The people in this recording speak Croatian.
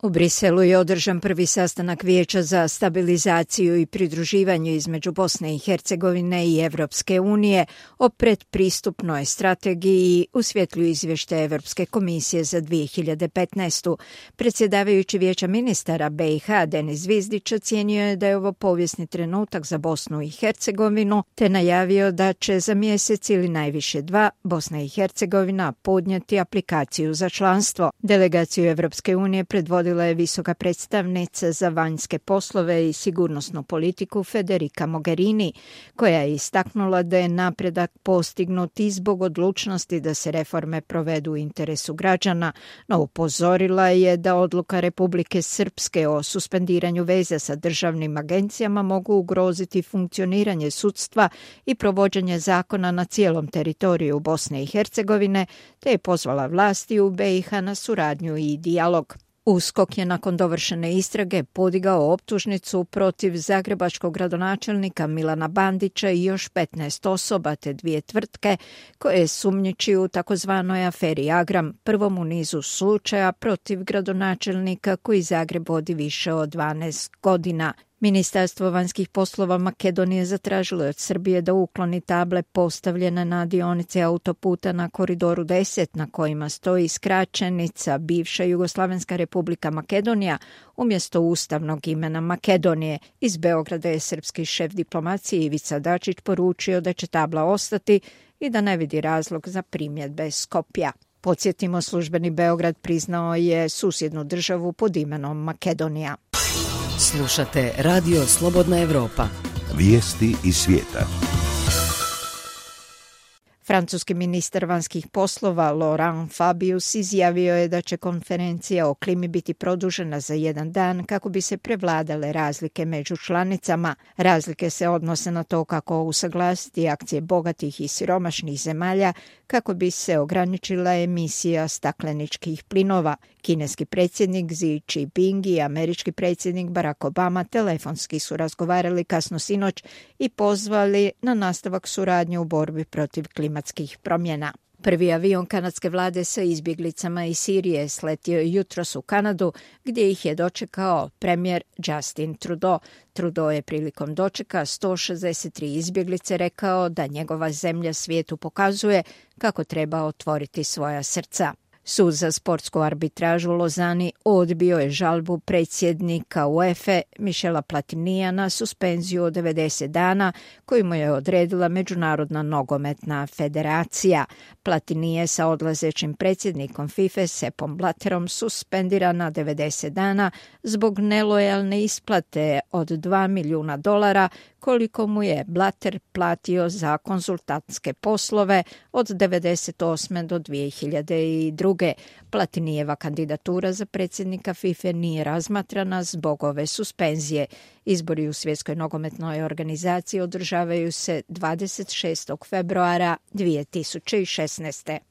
U Briselu je održan prvi sastanak Vijeća za stabilizaciju i pridruživanje između Bosne i Hercegovine i Evropske unije o predpristupnoj strategiji u svjetlu izvještaja Evropske komisije za 2015. Predsjedavajući Vijeća ministara BiH Denis Zvizdić ocijenio je da je ovo povijesni trenutak za Bosnu i Hercegovinu, te najavio da će za mjesec ili najviše 2 Bosna i Hercegovina podnijeti aplikaciju za članstvo. Delegaciju Evropske unije predvodila je visoka predstavnica za vanjske poslove i sigurnosnu politiku Federica Mogherini, koja je istaknula da je napredak postignut i zbog odlučnosti da se reforme provedu u interesu građana, no upozorila je da odluka Republike Srpske o suspendiranju veza sa državnim agencijama mogu ugroziti funkcioniranje sudstva i provođenje zakona na cijelom teritoriju Bosne i Hercegovine, te je pozvala vlasti u BiH na suradnju i dijalog. USKOK je nakon dovršene istrage podigao optužnicu protiv zagrebačkog gradonačelnika Milana Bandića i još 15 osoba te 2 tvrtke koje sumnjiči u takozvanoj aferi Agram, prvom u nizu slučaja protiv gradonačelnika koji Zagreb vodi više od 12 godina. Ministarstvo vanjskih poslova Makedonije zatražilo je od Srbije da ukloni table postavljene na dionice autoputa na koridoru 10 na kojima stoji skraćenica bivša Jugoslavenska republika Makedonija umjesto ustavnog imena Makedonije. Iz Beograda je srpski šef diplomacije Ivica Dačić poručio da će tabla ostati i da ne vidi razlog za primjedbe Skopja. Podsjetimo, službeni Beograd priznao je susjednu državu pod imenom Makedonija. Slušate Radio Slobodna Evropa. Vijesti iz svijeta. Francuski ministar vanjskih poslova Laurent Fabius izjavio je da će konferencija o klimi biti produžena za 1 dan kako bi se prevladale razlike među članicama. Razlike se odnose na to kako usaglasiti akcije bogatih i siromašnih zemalja kako bi se ograničila emisija stakleničkih plinova. Kineski predsjednik Xi Jinping i američki predsjednik Barack Obama telefonski su razgovarali kasno sinoć i pozvali na nastavak suradnje u borbi protiv klimatskih promjena. Prvi avion kanadske vlade sa izbjeglicama iz Sirije sletio je jutros u Kanadu, gdje ih je dočekao premijer Justin Trudeau. Trudeau je prilikom dočeka 163 izbjeglice rekao da njegova zemlja svijetu pokazuje kako treba otvoriti svoja srca. Sud za sportsku arbitražu u Lozani odbio je žalbu predsjednika UEFA Michela Platinija na suspenziju od 90 dana koju mu je odredila Međunarodna nogometna federacija. Platini je sa odlazećim predsjednikom FIFA Seppom Blatterom suspendiran na 90 dana zbog nelojalne isplate od $2 milijuna koliko mu je Blatter platio za konzultantske poslove od 1998. do 2002. Platinijeva kandidatura za predsjednika FIFA nije razmatrana zbog ove suspenzije. Izbori u Svjetskoj nogometnoj organizaciji održavaju se 26. februara 2016.